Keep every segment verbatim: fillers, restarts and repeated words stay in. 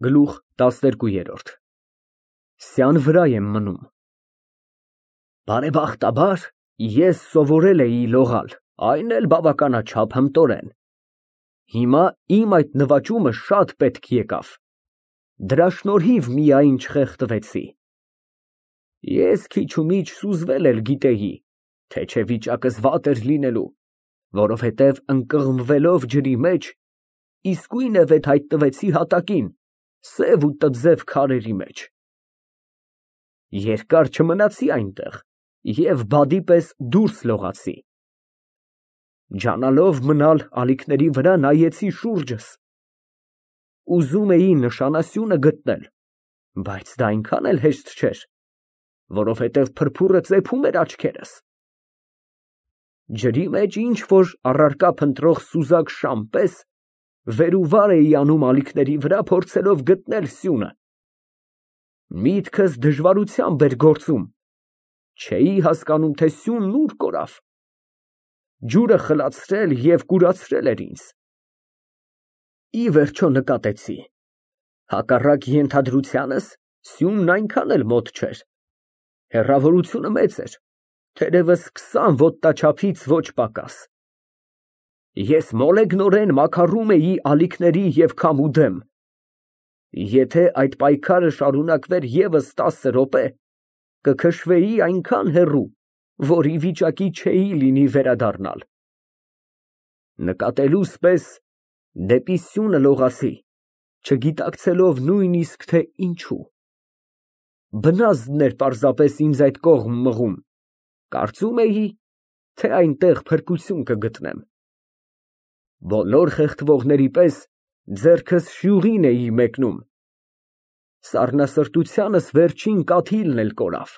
Գլուխ տասներկու։ Սյան վրա եմ մնում։ Բարեբախտաբար ես սովորել էի լողալ, այն էլ բավականաչափ հմտորեն։ Հիմա իմ այդ նվաճումը շատ պետք եկավ, դրա շնորհիվ միայն չխեղդվեցի։ Ես քիչումիչ սուզվել էլ գիտեի, թե չէ վիճակս վատ էր լինելու, որովհետև ընկղմվելով ջրի մեջ, իսկույն վեթ հայտնվեցի հատակին, սև ու տձև քարերի մեջ։ Երկար չմնացի այնտեղ և բադի պես դուրս լողացի։ Ջանալով մնալ ալիքների վրա նայեցի շուրջս։ Ուզում էի նշանասյունը գտնել, բայց դա այնքան էլ հեշտ չէր, որովհետև փրփուրը ծեփում էր աչքերս։ Ջրի մեջ ինչ֊որ առարկա փնտրող սուզակ շան պես վեր ու վար էի անում ալիքների վրա, փորձելով գտնել սյունը։ Միտքս դժվարությամբ էր գործում, չէի հասկանում, թե սյունն ուր կորավ։ Ջուրը խլացրել և կուրացրել էր ինձ։ Ի վերջո նկատեցի. հակառակ ենթադրությանս, սյունն այնքան էլ մոտ չէր, հեռավորությունը մեծ էր, թերևս քսան ոտնաչափից ոչ պակաս։ Ես մոլեգնորեն մաքարում էի ալիքների և քամու դեմ։ Եթե այդ պայքարը շարունակվեր ևս տասը րոպե, կքշվեի այնքան հեռու, որ ի վիճակի չէի լինի վերադառնալ։ Նկատելուս պես դեպի սյունը լողացի, չգիտակցելով նույնիսկ, թե ինչու։ Բնազդն էր պարզապես ինձ այդ կողմ մղում, կարծում էի, թե այնտեղ փրկություն կգտնեմ։ Բոլոր խեղդվողների պես ձեռքս շյուղին էի մեկնում։ Սառնասրտությանս վերջին կաթիլն էլ կորավ։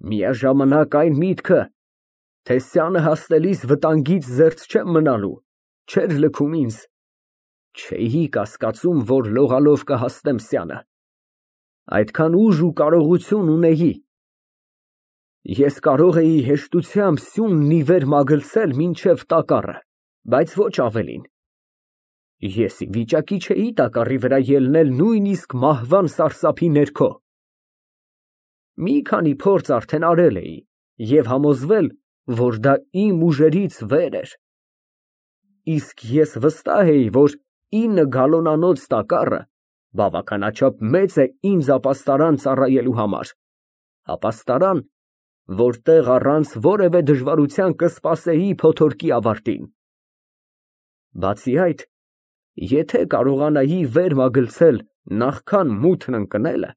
Միաժամանակ այն միտքը, թե սյանը հասնելիս վտանգից զերծ չեմ մնալու, չէր լքում ինձ։ Չէի կասկածում, որ լողալով կհասնեմ սյանը։ Այդքան ուժ ու կարողություն ունեի։ Ես կարող էի հեշտությամբ սյունն ի վեր մագլցել մինչև տակառը, բայց ոչ ավելին։ Ես ի վիճակի չէի տակառի վրա ելնել նույնիսկ մահվան սարսափի ներքո։ Մի քանի փորձ արդեն արել էի և համոզվել, որ դա իմ ուժերից վեր էր։ Իսկ ես վստահ էի, որ ինը գալոնանոց տակառը բավականաչափ մեծ է ինձ ապաստարան ծառայելու համար, ապաստարան, որտեղ առանց որևէ դժվարության կսպասեի փոթորկի ավարտին։ Բացի այդ, եթե կարողանայի վեր մագլցել նախքան մութն ընկնելը,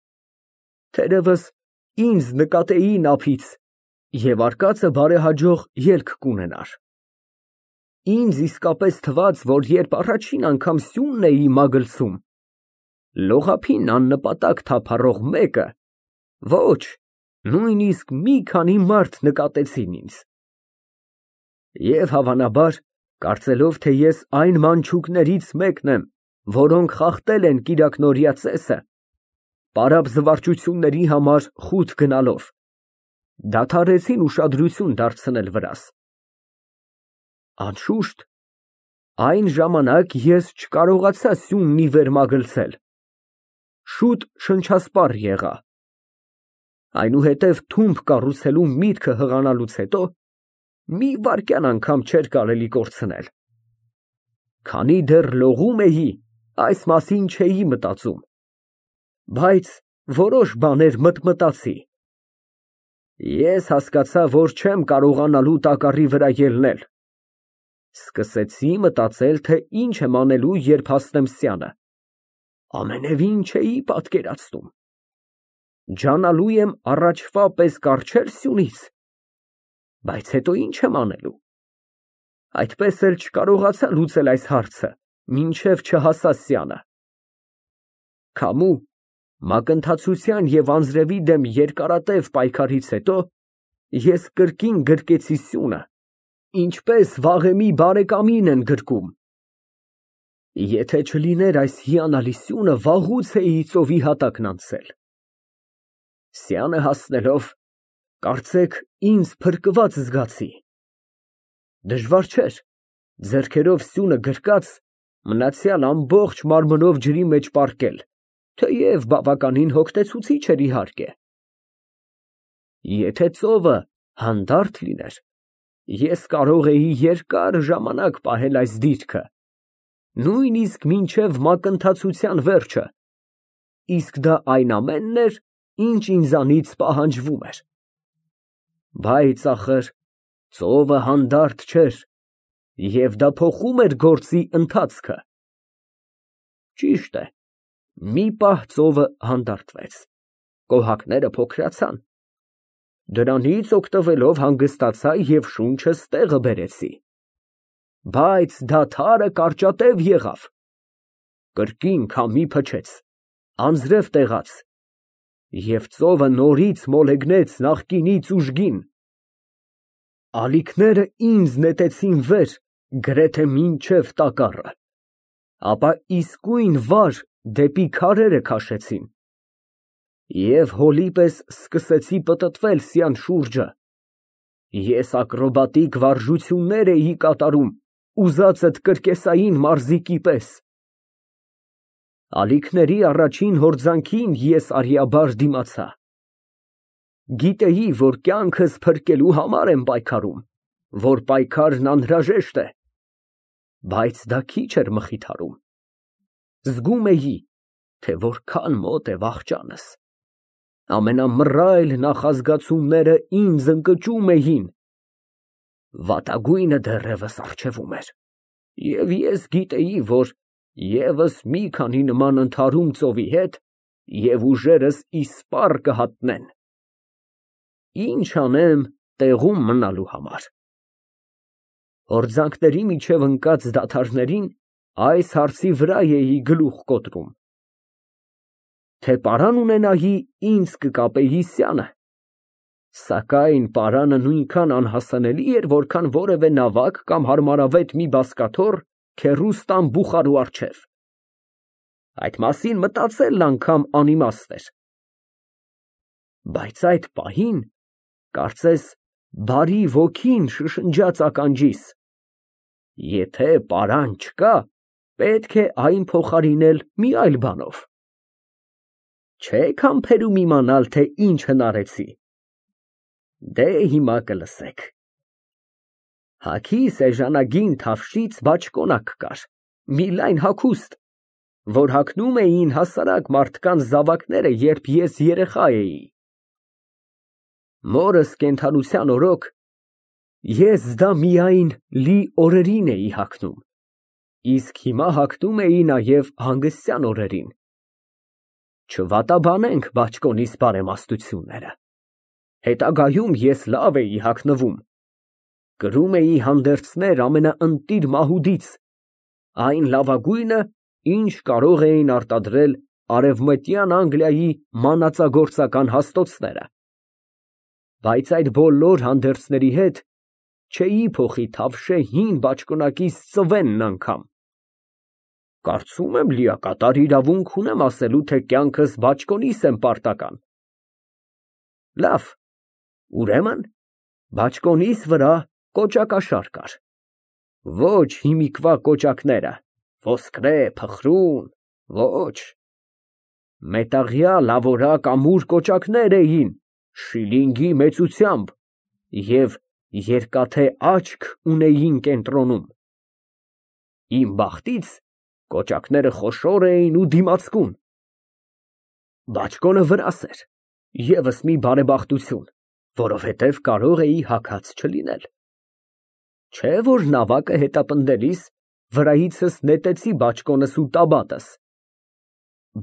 թերևս ինձ նկատեի նափից և արկածը բարեհաջող ելք կունենար։ Ինձ իսկապես թվաց, որ երբ առաջին անգամ սյունն էի մագլցում, լողափին աննպատակ թափառող մեկը, ոչ, նույնիսկ մի քանի մարդ նկատեցին ինձ։ Եվ հավանաբար, կարծելով, թե ես այն մանչուկներից մեկն եմ, որոնք խախտել են կիրակնօրյա ծեսը, պարապ զվարճությունների համար խուտ գնալով, դադարեցին ուշադրություն դարձնել վրաս։ Անշուշտ, այն ժամանակ ես չկարողացա սյունն ի վեր մագլցել, շուտ շնչասպառ եղա։ Այնուհետև թումբ կառուցելու միտքը հղանալուց հետո մի վայրկյան անգամ չէր կարելի կորցնել։ Քանի դեռ լողում էի, այս մասին չէի մտածում, բայց որոշ բաներ մտմտացի։ Ես հասկացա, որ չեմ կարողանալու տակառի վրա ելնել։ Սկսեցի մտածել, թե ինչ եմ անելու, երբ հասնեմ սյանը։ Ամենևին չէի պատկերացնում։ Ջանալու եմ առաջվա պես կառչե՞լ սյունից, բայց հետո ինչ եմ անելու։ Այդպես էլ չկարողացա լուծել այս հարցը, մինչև չհասա սյանը։ Քամու, մակընթացության և անձրևի դեմ երկարատև պայքարից հետո ես կրկին գրկեցի սյունը, ինչպես վաղեմի բարեկամին են գրկում։ Եթե չլիներ այս հիանալի սյունը, վաղուց էի ծովի հատակն անցել։ Սյանը հասնելով, կարծեք ինձ փրկված զգացի։ Դժվար չէր, ձեռքերով սյունը գրկած, մնացյալ ամբողջ մարմնով ջրի մեջ պառկել, թեև բավականին հոգնեցուցիչ էր, իհարկե։ Եթե ծովը հանդարտ լիներ, ես կարող էի երկար ժամանակ պահել այս դիրքը, նույնիսկ մինչև մակընթացության վերջը, իսկ դա այն ամենն էր, ինչ ինձանից պահանջվում էր։ Բայց ախր ծովը հանդարտ չէր, և դա փոխում էր գործի ընթացքը։ Ճիշտ է, մի պահ ծովը հանդարտվեց, կոհակները փոքրացան, դրանից օգտվելով հանգստացա և շունչս տեղը բերեցի, բայց դադարը կարճատև եղավ, կրկին քամի փչեց, անձրև տեղաց, և ծովը նորից մոլեգնեց նախկինից ուժգին, ալիքները ինձ նետեցին վեր գրեթե մինչև տակառը, ապա իսկույն վար դեպի քարերը քաշեցին, և հոլի պես սկսեցի պտտվել սյան շուրջը, ես ակրոբատիկ վարժություններ էի կատարում ուզածդ կրկեսային մարզիկի պես։ Ալիքների առաջին հորձանքին ես արյաբար դիմացա, գիտեի, որ կյանքս փրկելու համար եմ պայքարում, որ պայքարն անհրաժեշտ է, բայց դա քիչ էր մխիթարում, զգում էի, թե որքան մոտ է վախճանս, ամենամռայլ նախազգացումները ինձ ընկճում էին, վատագույնը դեռևս առջևում էր, և ես գիտեի, որ ևս մի քանի նման ընդհարում ծովի հետ և ուժերս իսպառ կհատնեն։ Ինչ անեմ տեղում մնալու համար։ Հորձանքների միջև ընկած դադարներին այս հարցի վրա էի գլուխ կոտրում. թե պարան ունենայի, ինձ կկապեի սյանը, սակայն պարանը նույնքան անհասանելի էր, որքան որևէ նավակ կամ հարմարավետ մի բազկաթոռ քեռուստան բուխարու առջև, այդ մասին մտածելն անգամ անիմաստ էր, բայց այդ պահին, կարծես բարի ոգին շշնջաց ականջիս. եթե պարան չկա, պետք է այն փոխարինել մի այլ բանով։ Չե՞ք համբերում իմանալ, թե ինչ հնարեցի։ Դե հիմա կլսեք։ Հագիս էժանագին թավշից բաճկոնակ կար, մի լայն հագուստ, որ հագնում էին հասարակ մարդկանց զավակները, երբ ես երեխա էի։ Մորս կենդանության օրոք ես դա միայն լի օրերին էի հագնում, իսկ հիմա հագնում էի նաև հանգստյան օրերին։ Չվատաբանենք բաճկոնիս բարեմաստությունները, հետագայում ես լավ էի հագնվում, կրում էի հանդերձներ ամենաընտիր մահուդից, այն լավագույնը, ինչ կարող էին արտադրել Արևմտյան Անգլիայի մանածագործական հաստոցները, բայց այդ բոլոր հանդերձների հետ չէի փոխի թավշե հին բաճկոնակիս ծվենն անգամ։ Կարծում եմ լիակատար իրավունք ունեմ ասելու, թե կյանքս բաճկոնիս եմ պարտական։ Լավ, ուրեմն բաճկոնիս վրա կոճակաշար կար, ոչ հիմիկվա կոճակները, ոսկրե, փխրուն, ոչ, մետաղյա լավորակ ամուր կոճակներ էին, շիլինգի մեծությամբ և երկաթե աչք ունեին կենտրոնում։ Իմ բախտից կոճակները խոշոր էին ու դիմացկուն։ Բաճկոնը վրաս էր, ևս մի բարեբախտություն, որովհետև կարող էի հագած չլինել։ Չէ որ նավակը հետապնդելիս վրայիցս նետեցի բաճկոնս ու տաբատս,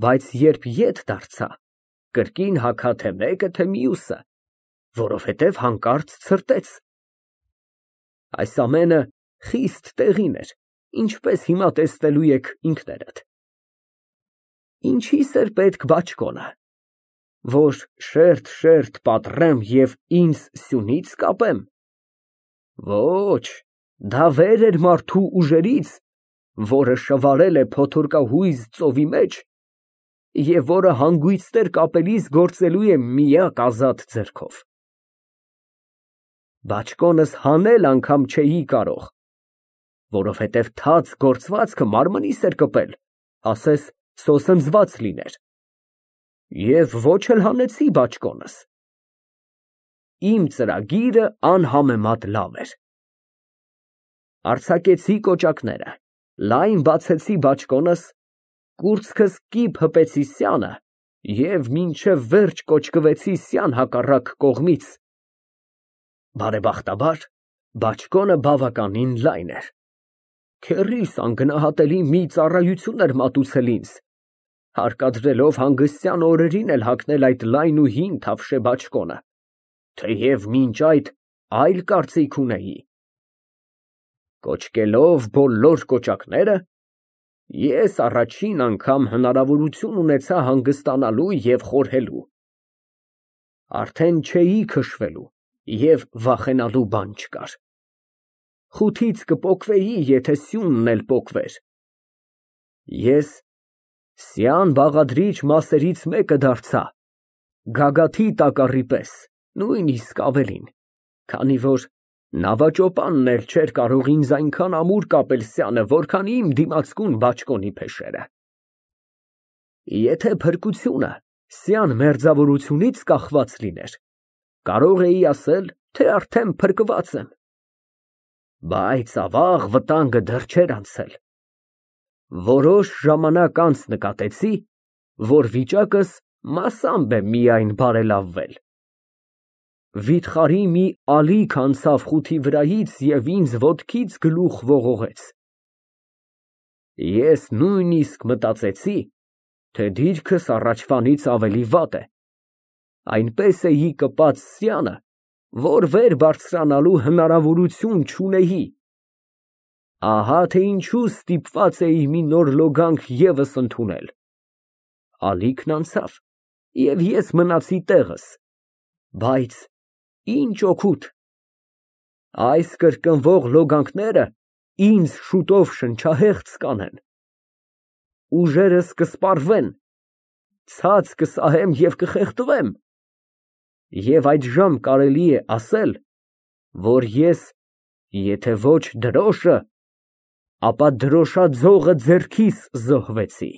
բայց երբ ետ դարձա, կրկին հագա թե մեկը, թե մյուսը, որովհետև հանկարծ ցրտեց։ Այս ամենը խիստ տեղին էր, ինչպես հիմա տեսնելու եք ինքներդ։ Ինչի՞ս էր պետք բաճկոնը, որ շերտ֊շերտ պատռեմ և ինձ սյունից կապեմ։ Ոչ, դա վեր էր մարդու ուժերից, որը շվարել է փոթորկահույզ ծովի մեջ և որը հանգույցներ կապելիս գործելու է միակ ազատ ձեռքով։ Բաճկոնս հանել անգամ չէի կարող, որովհետև թաց գործվածքը մարմնիս էր կպել, ասես սոսնձված լիներ, և ոչ էլ հանեցի բաճկոնս։ Իմ ծրագիրը անհամեմատ լավ էր։ Արձակեցի կոճակները, լայն բացեցի բաճկոնս, կուրծքս կիպ հպեցի սյանը և մինչև վերջ կոճկվեցի սյան հակառակ կողմից։ Բարեբախտաբար, բաճկոնը բավականին լայն էր։ Քեռիս անգնահատելի մի ծառայություն էր մատուցել ինձ, հարկադրելով հանգստյան օրերին էլ հագնել այդ լայն ու հին թավշե բաճկոնը, թեև մինչ այդ այլ կարծիք ունեի։ Կոճկելով բոլոր կոճակները, ես առաջին անգամ հնարավորություն ունեցա հանգստանալու և խորհելու։ Արդեն չէի քշվելու և վախենալու բան չկար։ Խութից կպոկվեի, եթե սյունն էլ պոկվեր։ Ես սյան բաղադրիչ մասերից մեկը դարձա, գագաթի տակառի պես, նույնիսկ ավելին, քանի որ նավաճոպանն էլ չէր կարող ինձ այնքան ամուր կապել սյանը, որքան իմ դիմացկուն բաճկոնի փեշերը։ Եթե փրկությունը սյան մերձավորությունից կախված լիներ, կարող էի ասել, թե արդեն փրկված եմ։ Բայց ավաղ վտանգը դեռ չէր անցել։ Որոշ ժամանակ անց նկատեցի, որ վիճակս մասամբ է միայն բարելավվել։ Վիթխարի մի ալիք անցավ խութի վրայից և ինձ ոտքից գլուխ ողողեց։ Ես նույնիսկ մտածեցի, թե դիրքս առաջվանից ավելի վատ է, այնպես էի կպած սյանը, որ վեր բարձրանալու հնարավորություն չունեի։ Ահա թե ինչու ստիպված էի մի նոր լոգանք ևս ընդունել։ Ալիքն անցավ, և ես մնացի տեղս, բայց ինչ օգուտ։ Այս կրկնվող լոգանքները ինձ շուտով շնչահեղձ կանեն, ուժերս կսպառվեն, ցած կսահեմ և կխեղդվեմ, և այդժամ կարելի է ասել, որ ես եթե ոչ դրոշը, ապա դրոշաձողը ձեռքիս զոհվեցի։